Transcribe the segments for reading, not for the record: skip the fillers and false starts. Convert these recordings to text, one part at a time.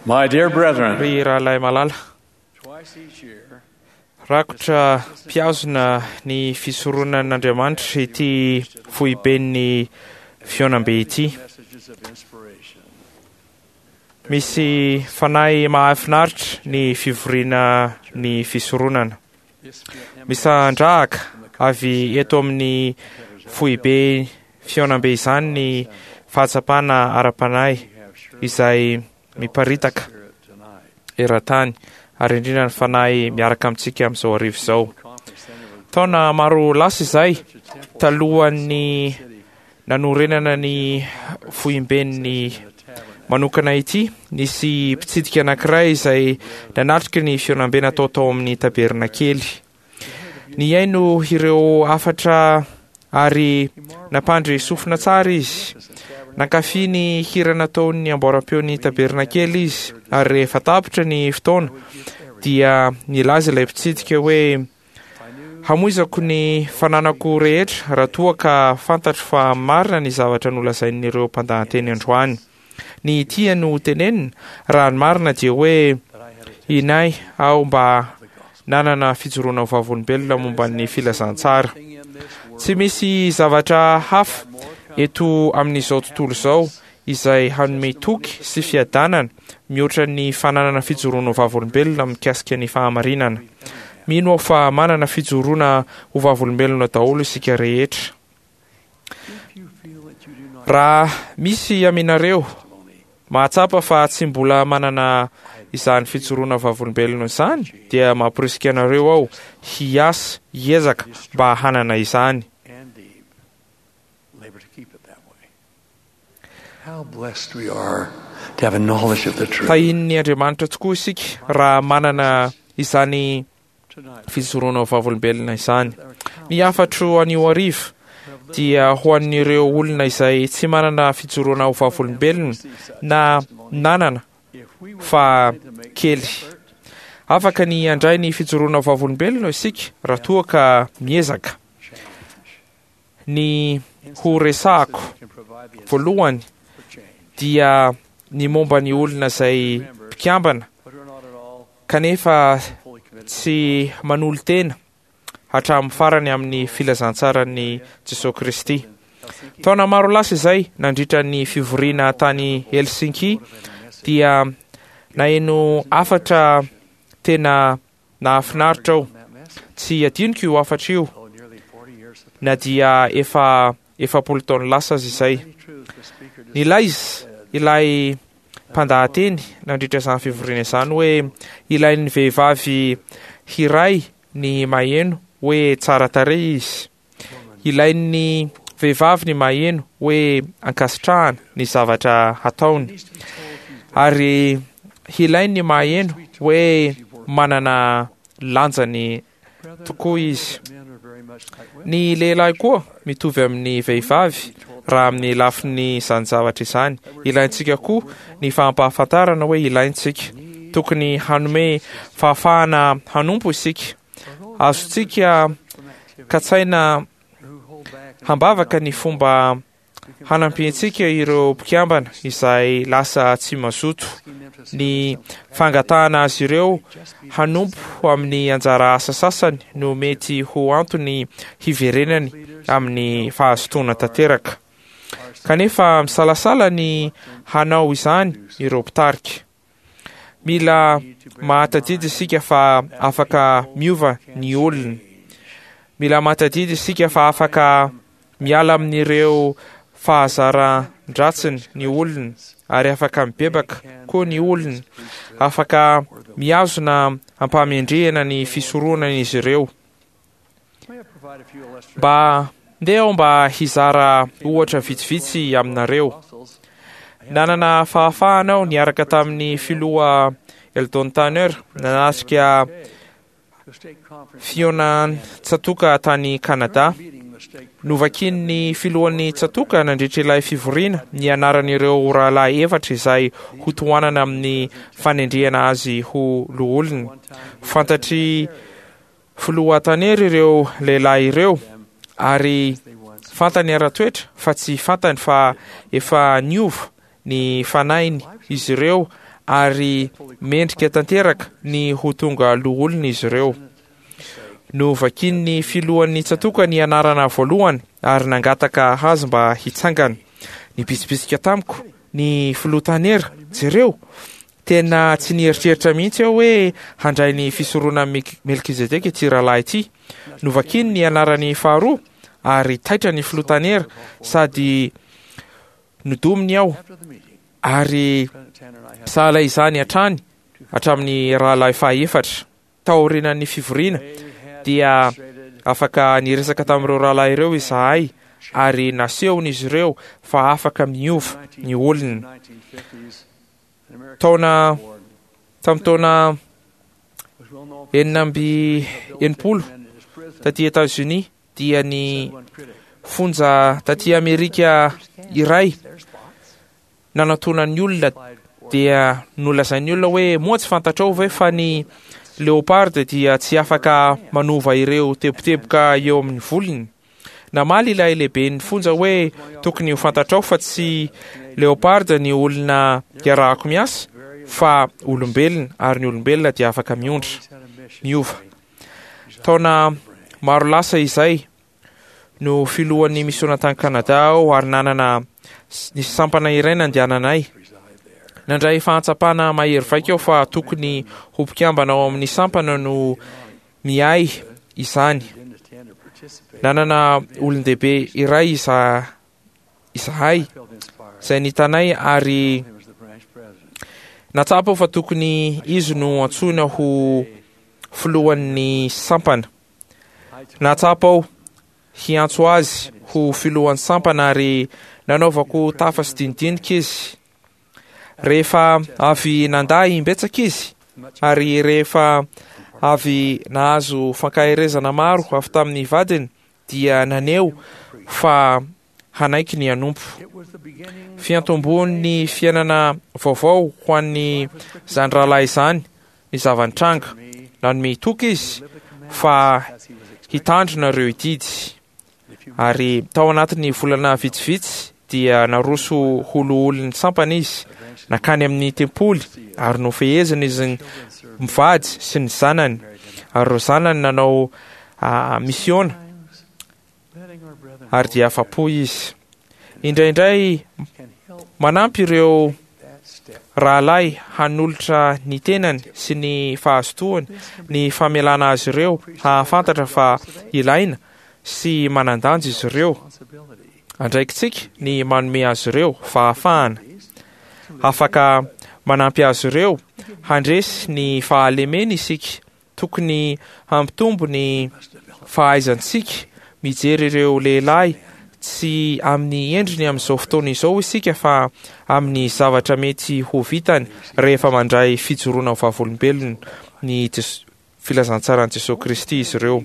My dear brethren, Ry rahalahy malala, twice each year, rakotra mpihazona ny fisoronan'Andriamanitra ity foiben'ny fihaonambe ity. messages of inspiration. Misy fanahy mahafinaritra ny fivoriana ny fisoronana. This emanates Misandrahaka avy eto amin'ny foibe fihaonambe izany ny fahatsapana ara-panahy we have sure izay felt that miparitaka spirit tonight. eran-tany ary indrindra ny fanahy miaraka amintsika amin'izao hariva izao. Conference center was Taona maro lasa izay such a temple talohan'ny city nanorenana ny foiben'ny in the tabernacle. manokana ity, nisy mpitsidika anankiray izay nanatrika ny fihaonambe natao tao amin'ny tabernakely. Nihaino ireo hafatra ary nampandry sofina tsara izy. Nankafy ny hira nataon'ny amboaram-peon'ny tabernakely izy ary rehefa tapitra ny fotoana dia nilaza ilay mpitsidika hoe hamoizako ny fananako rehetra raha toa ka fantatro fa marina ny zavatra nolazain'ireo mpandahateny androany. Ny tia no tenenina raha ny marina dia hoe That I had a inay aho mba the gospel. nanana fijoroana ho vavolombelona momba ny filazantsara. Thing in this world Tsy misy zavatra hafa more eto amin'izao tontolo izao izay hanome toky sy fiadanana mihoatra ny fananana fijoroana ho vavolombelona mikasika ny fahamarinana. Mino aho fa manana fijoroana ho vavolombelona daholo isika rehetra. If you feel that you do not Raha misy aminareo testimony, mahatsapa fa tsy mbola manana izany fijoroana vavolombelona izany dia mamporisika anareo aho hiasa hiezaka mba hanana izany. and deep, labor to keep it that way. How blessed we are to have a knowledge of the truth. Tahian'ny Andriamanitra tokoa isika raha manana izany Tonight, fijoroana ho vavolombelona izany. our counsel Ny hafatro anio hariva dia ho an'ireo olona izay tsy manana fijoroana ho vavolombelona na nanana if we were fa willing to make the kely. effort, Afaka ny handray ny fijoroana ho vavolombelona isika raha toa ka miezaka. change. Ny ho resahako Can provide the voalohany for change, dia ny momba ny olona izay mpikambana but are not at all kanefa fully committed. tsy manolo-tena hatramin'ny farany amin'ny filazantsaran'i Jesosy Kristy. Helsinki Taona maro lasa izay nandritra ny fivoriana tany Helsinki dia naheno hafatra tena nahafinaritra aho. on that message. Tsy adinoko io hafatra io Oh, nearly 40 years have na dia efa 40 taona lasa aza izay. Many truths the speaker Nilaiza ilay mpandahateny nandritra izany fivoriana izany hoe ilain'ny vehivavy hiray ny maheno hoe tsara tarehy izy. Ilain'ny vehivavy ny maheno hoe ankasitrahana ny zavatra hataony. needs to be told he's Ary ilainy ny maheno hoe manana lanjany brethren, tokoa izy. men are very much like women. Ny lehilahy koa mitovy amin'ny vehivavy raha amin'ny lafiny izany zavatra izany. Ilaintsika koa ny fampahafantarana hoe ilaintsika. Tokony hanome fahafahana hanompo isika. Azontsika From activity katsaina who hold back and hambavaka ny fomba hanampiantsika ireo mpikambana izay lasa tsy mazoto. asking them to Ny fangatahana azy ireo hanompo amin'ny anjara asa sasany no mety ho antony hiverenany amin'ny fahazotoana tanteraka. Kanefa misalasala ny hanao izany ireo mpitarika. Mila mahatadidy isika fa afaka miova ny olona. Mila mahatadidy isika fa afaka miala amin'ireo fahazaran-dratsiny ny olona ary afaka mibebaka koa ny olona. Afaka mihazona ampahamendrehana ny fisoronana izy ireo. May I provide a few illustrations? Mba ndeha aho mba hizara ohatra vitsivitsy aminareo. Apostles, Nanana fahafahana aho niaraka tamin'ny filoha Eldon Tanner nanatrika the state conference fihaonan-tsatoka tany Kanada. meeting the state Novakian'ny filohan'ny tsatoka nandritra ilay fivoriana ny anaran'ireo rahalahy efatra izay hotohanana amin'ny fanendrehana azy ho loholona. Fantatry filoha Tanner ireo lehilahy ireo ary they once fantany ara-toetra fa tsy fantany fa efa niova ny fanahiny izy ireo ary mendrika tanteraka ny ho tonga loholona izy ireo. Novakian'ny filohan'ny tsatòka ny anarana voalohany ary nangataka azy mba hitsangana. Nibitsibitsika tamiko ny filoha Tanner, Jereo! Tena tsy nieritreritra mihitsy aho hoe handray ny fisoronan'i Melkizedeka ity rahalahy ity. Novakiany ny anarany faharoa ary taitra ny filoha Tanner sady nodominy aho ary sahala izany hatrany hatramin'ny rahalahy fahaefatra. Taorian'ny fivoriana dia afaka niresaka tamin'ireo rahalahy ireo izahay ary nasehon'izy ireo fa afaka miova ny olona. Taona tamin'ny taona 66 taty Etazonia dia ny fonja taty Amerika iray nanatona ny olona dia nolazain'ny olona hoe moa tsy fantatrao ve fa ny leopard dia tsy afaka manova ireo teboteboka eo amin'ny volony? Namaly ilay lehiben'ny fonja hoe tokony ho fantatrao fa tsy leopard ny olona iarahako miasa fa olombelona ary ny olombelona dia afaka miondra, miova. Taona maro lasa izay no filohan'ny misiona tany Canada aho ary nanana nisy sampana iray nandehananay. Nandray fahatsapana mahery vaika aho fa tokony ho mpikambana ao amin'ny sampana no miahy izany. Nanana olon-dehibe iray iza izahay izay nitanay ary natsapa aho fa tokony izy no antsoina ho filohan'ny sampana. Nahatsapa aho hiantso azy ho filohan'ny sampana ary nanaovako tafa sy dinidinika izy. Rehefa avy nandà imbetsaka izy ary rehefa avy nahazo fankaherezana maro avy tamin'ny vadiny dia naneho fa hanaiky ny hanompo. Fiantombohan'ny fiainana vaovao ho an'ny zany rahalahy izany ny zava-nitranga. Nanome toky izy fa hitandrina ireo didy. Ary tao anatin'ny volana vitsivitsy dia naroso ho loholon'ny sampana izy, nankany amin'ny tempoly ary nofehezina izy mivady sy ny zanany. Ary ireo zanany nanao misiona ary dia afa-po izy. Indraindray manampy ireo rahalahy hanolotra ny tenany sy ny fahazotoany ny famelana azy ireo hahafantatra fa ilaina sy manan-danja izy ireo. Andraikitsika ny manome azy ireo fahafahana. Afaka manampy azy ireo handresy ny fahalemeny isika. Tokony hampitombo ny fahaizantsika mijery ireo lehilahy tsy amin'ny endriny amin'izao fotoana izao isika fa amin'ny zavatra mety ho vitany rehefa mandray fijoroana ho vavolombelona ny filazantsaran'i Jesoa Kristy izy ireo.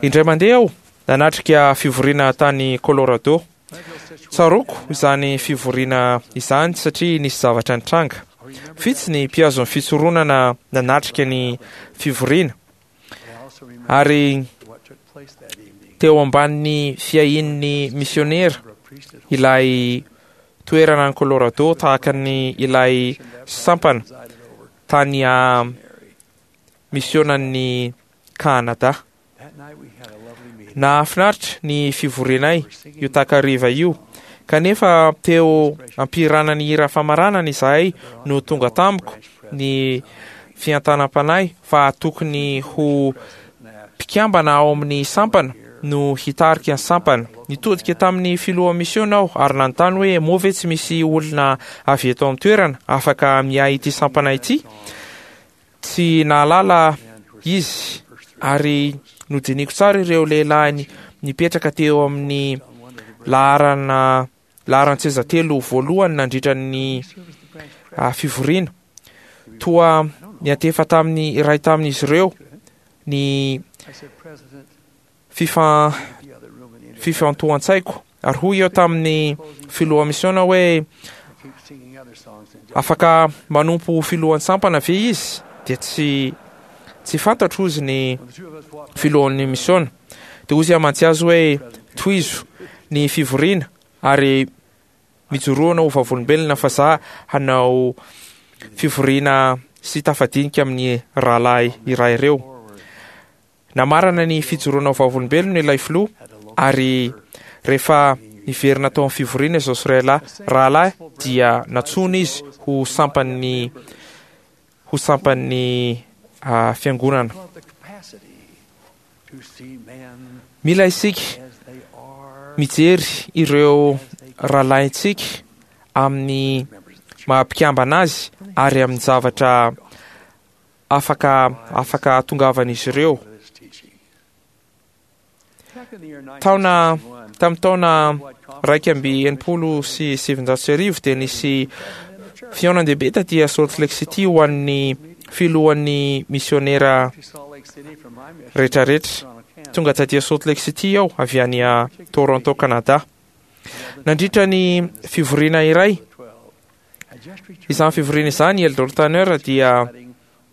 Indray mandeha aho nanatrika fivoriana tany Colorado. Tsaroako izany fivoriana izany satria nisy zavatra nitranga. Vitsy ny mpihazo ny fisoronana nanatrika ny fivoriana, ary teo ambanin'ny fiahian'ny misionera ilay toerana any Colorado tahaka ny ilay sampana tany a misionan'ny Kanada. Nahafinaritra ny fivorianay io takariva io, kanefa teo am-pihirana ny hira famaranana izahay no tonga tamiko ny fiantanam-panahy fa tokony ho mpikambana ao amin'ny sampana no hitarika ny sampana. Nitodika tamin'ny filoha misiona aho ary nanontany hoe moa ve tsy misy olona avy eto amin'ny toerana afaka miahy ity sampana ity? Tsy nahalala izy ary nodiniko tsara ireo lehilahy nipetraka teo amin'ny laharana laharan-tseza telo voalohany nandritra ny fivoriana. Toa niantefa tamin'ny iray tamin'izy ireo ny fifa fifantohan-tsaiko ary hoy aho tamin'ny filoha misiona hoe afaka manompo ho filohan'ny sampana ve izy dia tsy tsy fantatro hozy ny filohan'ny misiona dia hozy aho mantsy azy hoe tohizo ny fivoriana ary mijoroana ho vavolombelona fa za hanao fivoriana sy tafadinika amin'ny rahalahy iray ireo. Namarana ny fijoroana ho vavolombelona ilay filoha ary rehefa niverina tao amin'ny fivoriana izao sy rahalahy rahalahy dia nantsoina izy ho sampan'ny ho sampan'ny fiangonana. Mila isika mijery ireo rahalahintsika amin'ny maha-mpikambana azy ary amin'ny zavatra afaka afaka hahatongavan'izy ireo. Taona tamin'ny taona 1961 dia nisy fihaonan-dehibe taty Salt Lake City ho an'ny filohan'ny misionera rehetrarehetra. Tonga taty Salt Lake City aho avy any Toronto, Canada. Nandritra ny fivoriana iray, izany fivoriana izany, Eldor Tanner dia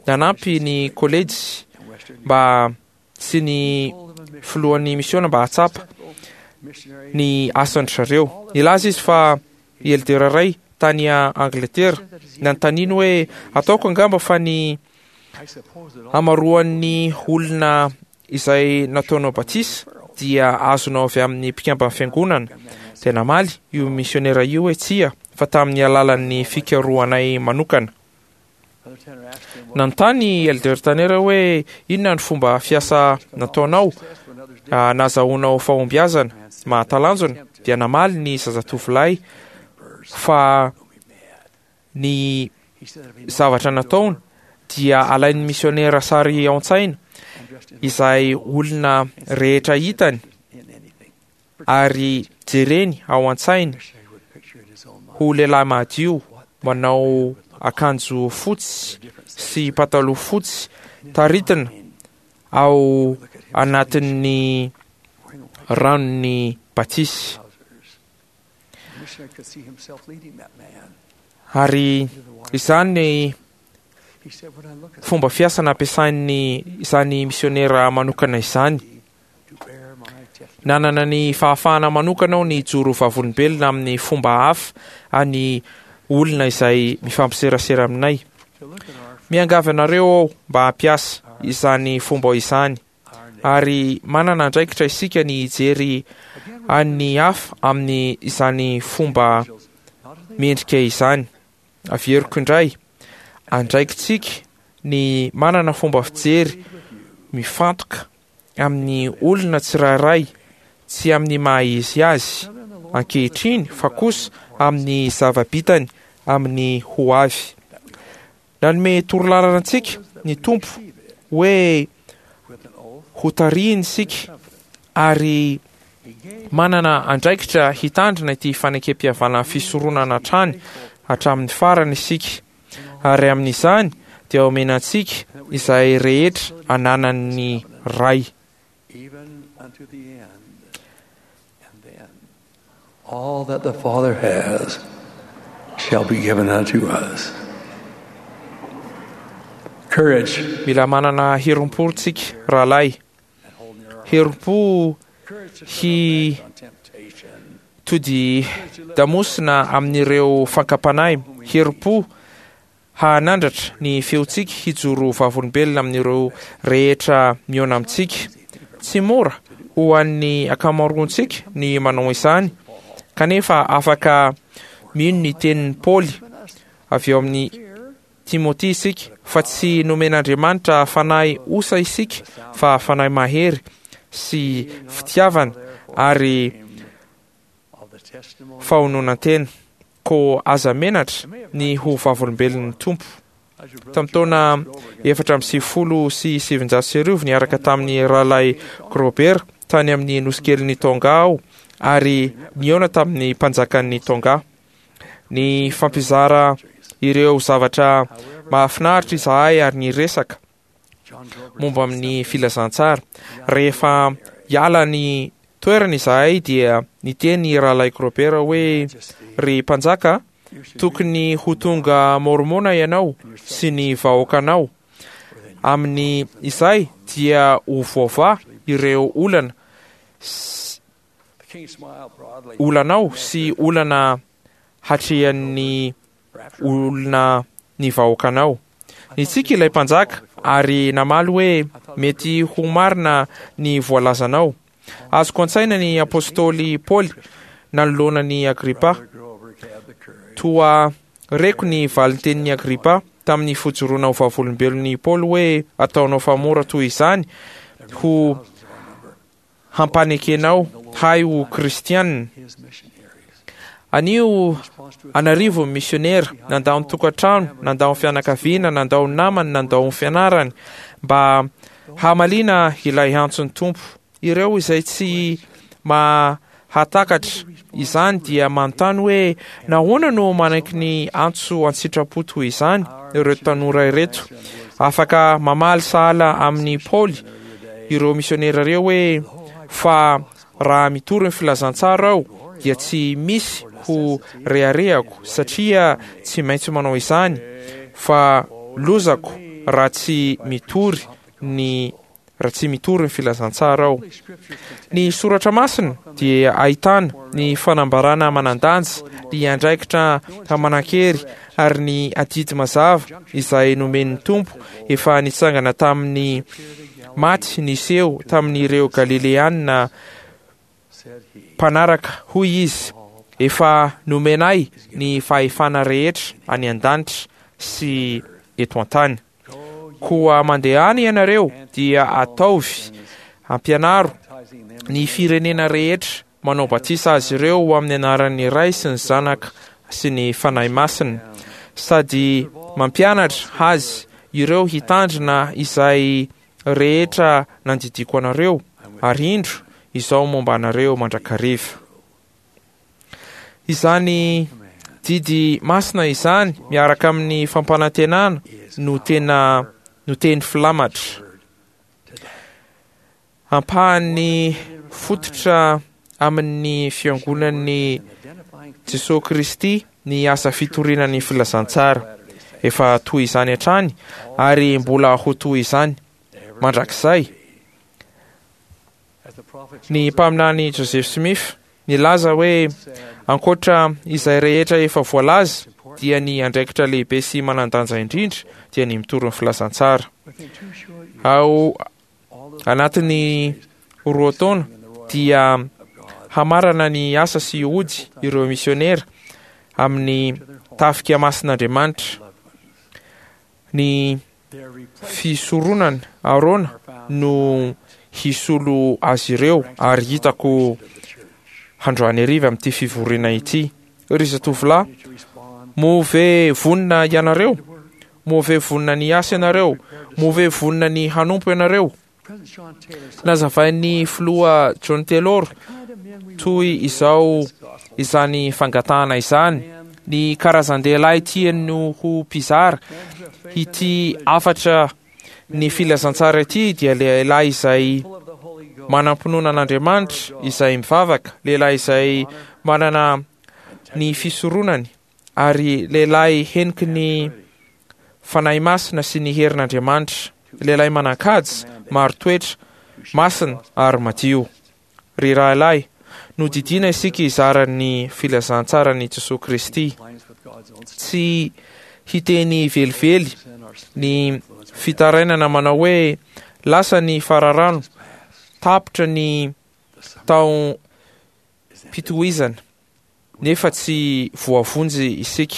nanampy ny kolejy mba sy ny filohan'ny misiona mba hahatsapa ny asan-dry zareo. Nilaza izy fa i Elder iray tany Angletera nanontaniany hoe ataoko angamba fa ny hamaroan'ny olona izay nataonao batisa dia azonao avy amin'ny mpikamban'ny fiangonana. Dia namaly io misionera io hoe tsia, fa tamin'ny alalan'ny fikarohanay manokana. Nanontany i Elder Tanner hoe inona ny fomba fiasa nataonao nahazahoanao fahombiazana mahatalanjona, dia namaly ny zazatovolahy fa ny zavatra nataony dia alain'ny misionera sary ao an-tsaina izay olona rehetra hitany ary jereny ao an-tsainy ho lehilahy madio manao akanjo fotsy sy pataloha fotsy taritina ao anatin'ny ranon'ny batisa. Ary izany fomba fiasa nampiasain'ny izany misionera manokana izany. Nanana ny fahafahana manokana aho ny hijoro vavolombelona amin'ny fomba hafa any olona izay mifampiserasera aminay. Miangavy anareo aho mba hampiasa izany fomba izany ary manana andraikitra isika ny hijery an'ny hafa amin'ny izany fomba mendrika izany. Averiko indray, andraikitsika ny manana fomba fijery mifantoka amin'ny olona tsirairay, tsy amin'ny maha izy azy ankehitriny fa kosa amin'ny zava-bitany amin'ny ho avy. Nanome torolalana antsika ny Tompo hoe hotarihiny isika ary manana andraikitra hitandrina ity fanekempihavanana fisoronana hatrany hatramin'ny farany isika. Ary amin'izany dia omena antsika izay rehetra ananan'ny Ray. All that the Father has shall be given unto us. Courage. Mila manana herim-po tsika rahalahy. Herim-po hi tody damosina amin'ireo fankam-panahy. Herim-po hahanandratra ny feontsika hijoro vavolombelona amin'ireo rehetra mihaona amintsika. Tsy mora ho an'ny ankamaroantsika ny manao izany, kanefa afaka mino ny tenin'i Paoly avy ao amin'ny Timoty isika fa tsy nomen'Andriamanitra fanahy osa isika fa fanahy mahery sy fitiavana ary fahononan-tena. Koa aza menatra ny ho vavolombelon'ny Tompo. Tamin'ny taona 1994, niaraka tamin'ny Rahalahy Grober tany amin'ny nosikelin'i Tonga aho ary nihaona tamin'ny mpanjakan'i Tonga. Nifampizara ireo zavatra mahafinaritra izahay ary niresaka momba amin'ny filazantsara. Rehefa hiala ny toerana izahay dia niteny Rahalahy Grober hoe, Ry mpanjaka, tokony ho tonga Môrmôna ianao sy ny vahoakanao. Amin'ny izay dia ho voavaha ireo olana olanao sy olana hatrehan'ny olona. ny vahoakanao. Nitsiky ilay mpanjaka ary namaly hoe, Mety ho marina ny voalazanao. Azoko an-tsaina ny apostoly Paoly nanoloana an'i Agripa. Toa reko ny valintenin'i Agripa tamin'ny fijoroana ho vavolombelon'i Paoly hoe, Ataonao fa mora toy izany ho hampanekenao hay ho kristianina. Anio an'arivo ny misionera nandao ny tokantrano, nandao ny fianakaviana, nandao ny namany, nandao ny fianarany mba hamaliana ilay antson'ny Tompo. Ireo izay tsy mahatakatra izany dia manontany hoe nahoana no manaiky ny antso an-tsitrapo toy izany ireo tanora ireto. Afaka mamaly sahala amin'i Paoly ireo misionera ireo hoe, Fa raha mitory ny filazantsara aho dia tsy misy ho reharehako satria tsy maintsy manao izany, fa lozako raha tsy mitory ny raha tsy mitory ny filazantsara aho. Ny soratra masina dia ahitana ny fanambarana manan-danja, ny andraikitra manan-kery ary ny adidy mazava izay nomen'ny Tompo efa nitsangana tamin'ny maty niseho tamin'ireo Galileanina mpanaraka, hoy izy, Efa nomena ahy ny fahefana rehetra any an-danitra sy eto an-tany. Koa mandehana ianareo dia ataovy, ampianaro ny firenena rehetra, manao batisa azy ireo ho amin'ny anaran'ny Ray sy ny Zanaka sy ny Fanahy Masina, sady mampianatra azy ireo hitandrina izay rehetra nandidiako anareo, ary indro, izaho momba anareo mandrakariva. Izany didy masina izany miaraka amin'ny fampanantenana no tena no teny filamatra. Ampahan'ny fototra amin'ny Fiangonan'i Jesoa Kristy ny asa fitoriana ny filazantsara. Efa toy izany hatrany ary mbola ho toy izany mandrakizay. Ny mpaminany Joseph Smith nilaza hoe ankoatra izay rehetra efa voalaza dia ny andraikitra lehibe sy manan-danja indrindra dia ny mitory ny filazantsara. Ao Anatin'ny roa taona dia hamarana ny asa sy hody ireo misionera amin'ny tafika masin'Andriamanitra. Ny fisoronana Arona no hisolo azy ireo ary hitako handroany hariva amin'ity fivoriana ity. Ry zatovolahy, moa ve vonona ianareo? Moa ve vonona ny hiasa ianareo? Moa ve vonona ny hanompo ianareo? Nazavain'ny filoha John Taylor toy izao izany fangatahana izany, Ny karazan-dehilahy tiany no ho mpizara ity hafatra ny filazantsara ity dia lehilahy izay manam-pinoana an'Andriamanitra, izay mivavaka, lehilahy izay manana ny fisoronany, ary lehilahy heniky ny Fanahy Masina sy ny herin'Andriamanitra, lehilahy manan-kaja, marin-toetra, masina ary madio. Ry rahalahy, nodidiana isika hizara ny filazantsaran'i Jesoa Kristy. Tsy hiteny velively ny fitarainana manao hoe lasa ny fararano, tapitra ny taom-pitohizana. nefa tsy voavonjy isika.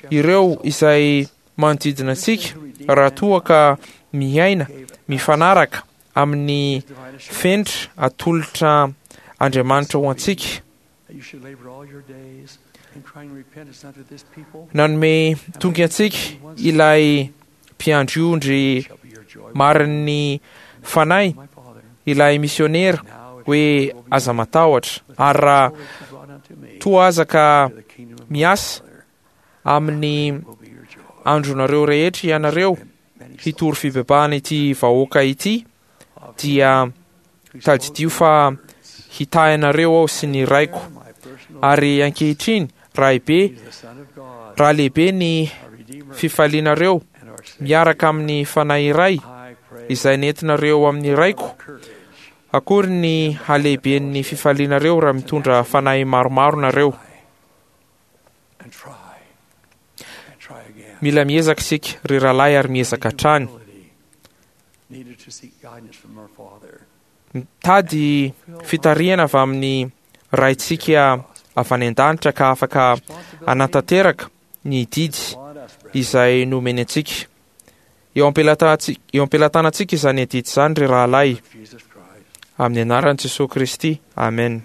Ireo izay manodidina antsika, raha toa ka miaina mifanaraka amin'ny fenitra atolotra Andriamanitra ho antsika. Nanome toky antsika ilay mpiandry ondry marin'ny fanahy ilay misionera hoe aza matahotra ary raha toa aza ka miasa amin'ny andronareo rehetra ianareo hitory fibebahana ity vahoaka ity dia tadidio fa hitahy anareo aho sy ny raiko ary ankehitriny Raibe, raha lehibe ny fifalianareo miaraka amin'ny fanahy iray izay nentinareo amin'ny Raiko, akory ny halehiben'ny fifalianareo raha mitondra fanahy maromaro nareo. Mila miezaka isika, ry rahalahy, ary miezaka hatrany. Mitady fitarihana avy amin'ny Raintsika avy any an-danitra ka afaka hanatanteraka ny didy izay nomeny antsika. Eo am-pelatanantsika izany adidy izany, ry rahalahy, amin'ny anaran'i Jesoa Kristy. Amen.